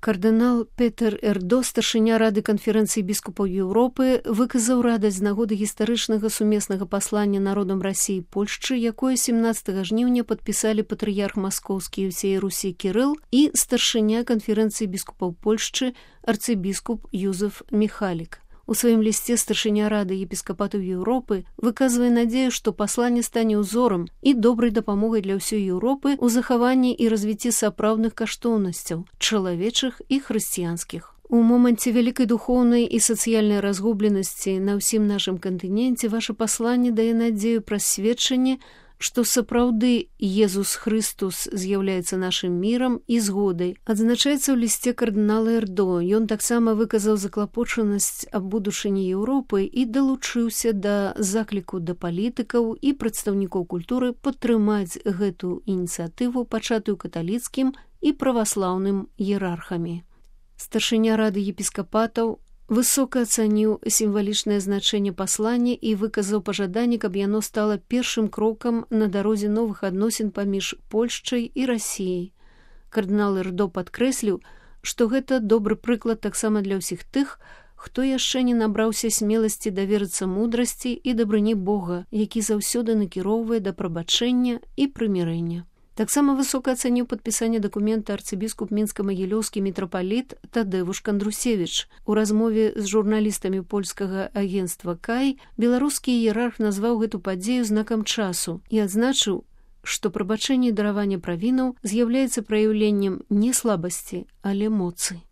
Кардынал Петер Эрдо, старшыня Рады канферэнцыі біскупаў Еўропы, выказаў радасць з нагоды гістарычнага сумеснага паслання народам Расіі і Польшчы, якое 17 жніўня падпісалі патрыярх маскоўскі і ўсей Русі Кірыл і старшыня канферэнцыі біскупаў Польшчы арцыбіскуп Юзеф Міхалік. У сваім лісце старшыня Рады епіскапатаў Еўропы выказвае надзею, што пасланне стане ўзорам і добрай дапамогай для ўсёй Еўропы ў захаванні і развіцці сапраўдных каштоўнасцяў, чалавечых і хрысціянскіх. У моманце вялікай духоўнай і сацыяльнай разгубленасці на ўсім нашым кантыненце ваша пасланне дае надзею праз сведчанне, што сапраўды Езус Хрыстус з'яўляецца нашым мірам і згодай. Адзначаецца ў лісце кардынала Эрдо. Ён таксама выказаў заклапочанасць аб будучыні Еўропы і далучыўся да закліку да палітыкаў і прадстаўнікоў культуры падтрымаць гэту ініцыятыву, пачатую каталіцкім і праваслаўным іерархамі. Старшыня Рады епіскапатаў высока ацаніў сімвалічнае значэнне паслання і выказаў пажаданне, каб яно стала першым крокам на дарозе новых адносін паміж Польшчай і Расіяй. Кардынал Эрдо падкрэсліў, што гэта добры прыклад таксама для ўсіх тых, хто яшчэ не набраўся смеласці даверыцца мудрасці і дабрыні Бога, які заўсёды накіроўвае да прабачэння і прымірэння. Таксама высока ацаніў падпісанне дакумента арцыбіскуп мінска-магілёўскі мітрапаліт Тадэвуш Кандрусевіч. У размове з журналістамі польскага агенцтва «Кай» беларускі іерарх назваў гэту падзею знакам часу і адзначыў, што прабачэнне і дараванне правінаў з'яўляецца праяўленнем не слабасці, але моцы.